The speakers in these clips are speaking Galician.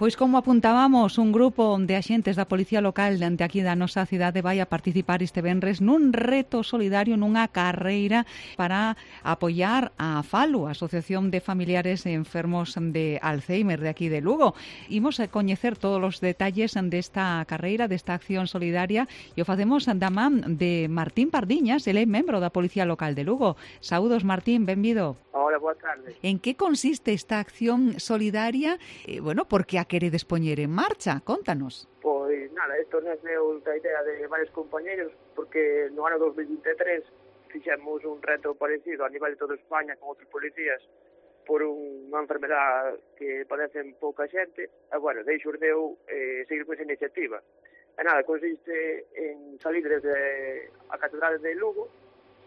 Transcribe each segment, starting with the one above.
Pois como apuntábamos, un grupo de axentes da Policía Local de aquí da nosa cidade vai a participar este venres nun reto solidario, nunha carreira para apoiar a FALU, a Asociación de Familiares Enfermos de Alzheimer de aquí de Lugo. Imos a coñecer todos os detalles desta carreira, desta acción solidaria, e o facemos da man de Martín Pardiñas, ele é membro da Policía Local de Lugo. Saúdos, Martín, benvido. Hola, boa tarde. En que consiste esta acción solidaria? Por que a queredes poñer en marcha? Contanos. Pois nada, isto nasceu da idea de varios compañeros, porque no ano 2023 fixemos un reto parecido a nivel de toda España con outros policías por unha enfermedad que padecen pouca xente, e daí xurdeu seguir con esa iniciativa. E nada, consiste en salir desde a Catedral de Lugo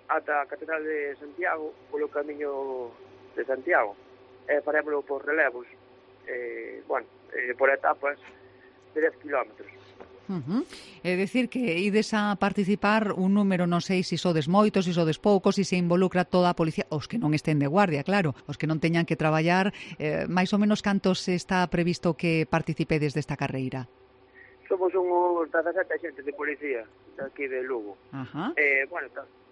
ata a Catedral de Santiago polo camiño de Santiago. Farémoslo por relevos, por etapas de 10 kilómetros. É dicir que ides a participar un número, non sei se sodes moitos, se sodes poucos, se involucra toda a policía, os que non estén de guardia, claro, os que non teñan que traballar, máis ou menos cantos está previsto que participedes desta carreira? Somos uns 17 xentes de policía aquí de Lugo.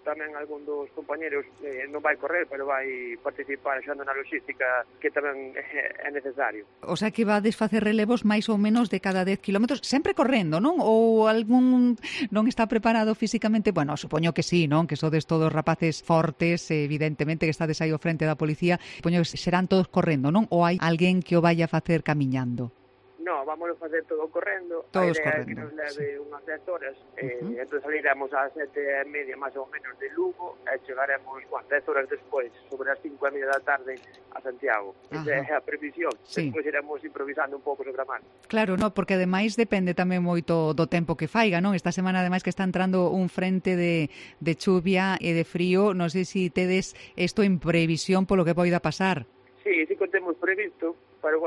Tamén algún dos compañeros non vai correr, pero vai participar axudando na logística, que tamén é necesario. O sea que vades facer relevos máis ou menos de cada 10 kilómetros, sempre correndo, non? Ou algún non está preparado físicamente? Bueno, supoño que sí, non? Que sodes todos rapaces fortes, evidentemente que estades aí ao frente da policía. Supoño que serán todos correndo, non? Ou hai alguén que o vai a facer camiñando? No, vamos a facer todo correndo. Todos a idea correndo, é que nos leve unhas 10 horas. Entón saliremos ás 7:30 máis ou menos de Lugo e chegaremos 10 horas despois, sobre as 5:30 da tarde, a Santiago. Esa é a previsión. Sí. Despois iremos improvisando un pouco sobre a man. Claro, no, porque ademais depende tamén moito do tempo que faiga, non? Esta semana ademais que está entrando un frente de chuvia e de frío, non sei se tedes isto en previsión polo que poida pasar. Sí que temos previsto, pero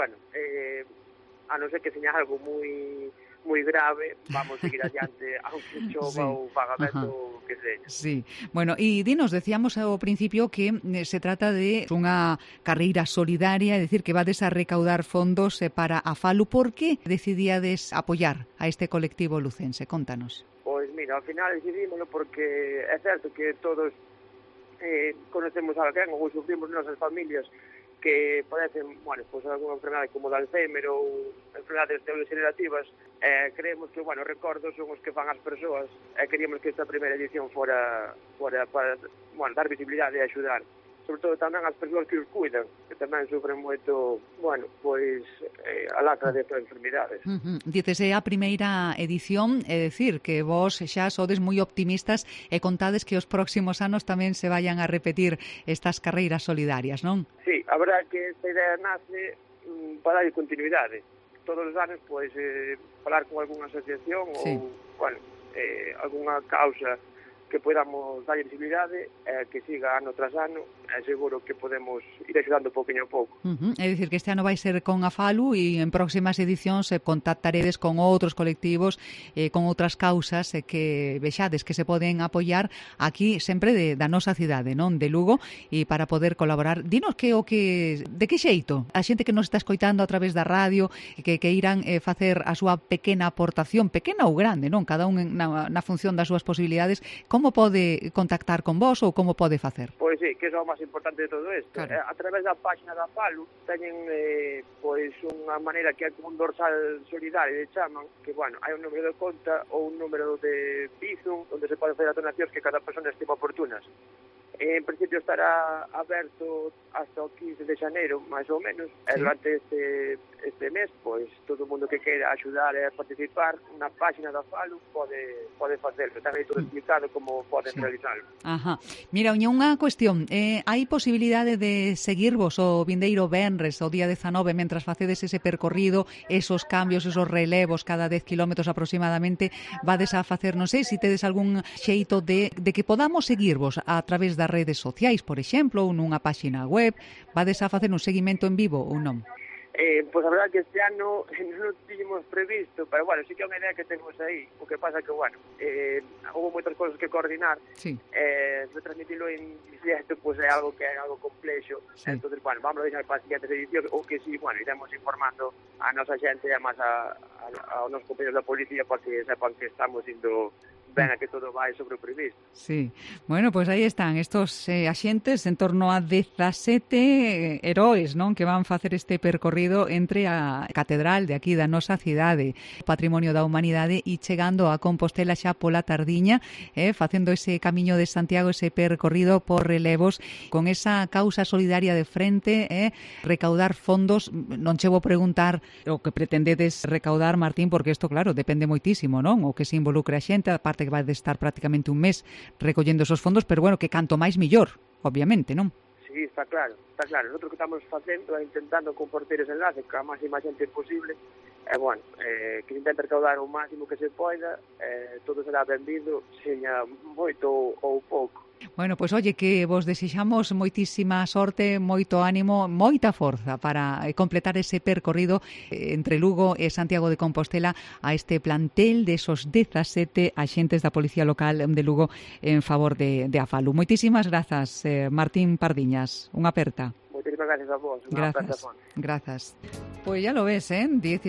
a non ser que seña algo moi grave, vamos seguir adiante aunque chova ou faga vento que seña. Sí, bueno, e dinos, decíamos ao principio que se trata de unha carreira solidaria, é dicir, que vades a recaudar fondos para a FALU. Por que decidíades apoiar a este colectivo lucense? Contanos. Pois mira, ao final decidímoslo porque é certo que todos conocemos a alguén ou sufrimos nosas familias que padecen, algunha enfermedade como de Alzheimer ou enfermedades neurodegenerativas. Creemos que, recordos son os que fan as persoas, e queríamos que esta primeira edición fora para dar visibilidade e axudar, sobre todo tamén as persoas que os cuidan, que tamén sufren moito, a lacra destas enfermidades. Dices, é a primeira edición, é dicir, que vos xa sodes moi optimistas e contades que os próximos anos tamén se vayan a repetir estas carreiras solidarias, non? Sí, a verdade que esta idea nace para dar continuidade. Todos os anos, falar con algunha asociación ou, algunha causa que podamos dar visibilidade, que siga ano tras ano, seguro que podemos ir axudando pouquinho a pouco. É dicir, que este ano vai ser con a FALU e en próximas edicións contactaredes con outros colectivos, con outras causas que vexades que se poden apoiar aquí sempre da nosa cidade, non? De Lugo, e para poder colaborar. Dinos de que xeito? A xente que nos está escoitando a través da radio, que irán facer a súa pequena aportación, pequena ou grande, non? Cada un na función das súas posibilidades. Como pode contactar con vos ou como pode facer? Pois sí, que é o máis importante de todo isto. Claro. A través da página da FALU teñen unha maneira que é como un dorsal solidario, chaman, que hai un número de conta ou un número de Bizum onde se pode facer as donacións que cada persona estima oportunas. En principio estará aberto hasta o 15 de xaneiro, máis ou menos, e durante este mes, todo o mundo que queira axudar e participar na página da FALU pode facerlo. Está aí todo explicado como poden realizarlo. Mira, unha cuestión, hai posibilidade de seguirvos o vindeiro venres, o día 19, mentras facedes ese percorrido, esos cambios, esos relevos cada 10 kilómetros aproximadamente, vades a facer, non sei, se tedes algún xeito de que podamos seguirvos a través das redes sociais, por exemplo, ou nunha páxina web, vades a facer un seguimento en vivo ou non? Pois a verdade que este ano non o tiñemos previsto, pero bueno, sí que é unha idea que temos aí. O que pasa que, bueno, houve moitas cousas que coordinar, Sí. retransmitilo en directo, pois é algo que é algo complexo. Sí. Entonces, bueno, vamos a deixar para as siguientes edicións, o que sí, bueno, iremos informando a nosa xente e máis aos nosos compañeros da policía para que sepan que estamos indo ben a que todo vai sobre o previsto. Sí. Bueno, pues aí están estos axentes, en torno a 17 heróis, non, que van facer este percorrido entre a catedral de aquí da nosa cidade, Patrimonio da Humanidade, e chegando a Compostela xa pola tardiña, facendo ese camiño de Santiago, ese percorrido por relevos, con esa causa solidaria de frente, recaudar fondos. Non che vou preguntar o que pretendedes recaudar, Martín, porque isto, claro, depende moitísimo, non? O que se involucre a xente, a parte que vai de estar prácticamente un mes recollendo esos fondos, pero bueno, que canto máis millor, obviamente, non? Sí, está claro, está claro. Nosotros que estamos facendo é intentando compartir ese enlace ca máxima xente posible, bueno, que se intenta recaudar o máximo que se poida, todo será benvido, seña moito ou pouco. Bueno, pois oye, que vos desexamos moitísima sorte, moito ánimo, moita forza para completar ese percorrido entre Lugo e Santiago de Compostela a este plantel de esos 17 axentes da Policía Local de Lugo en favor de Afalu. Moitísimas grazas, Martín Pardiñas. Unha aperta. Moitísimas gracias a vos. Unha aperta. Grazas. Pois ya lo ves, 17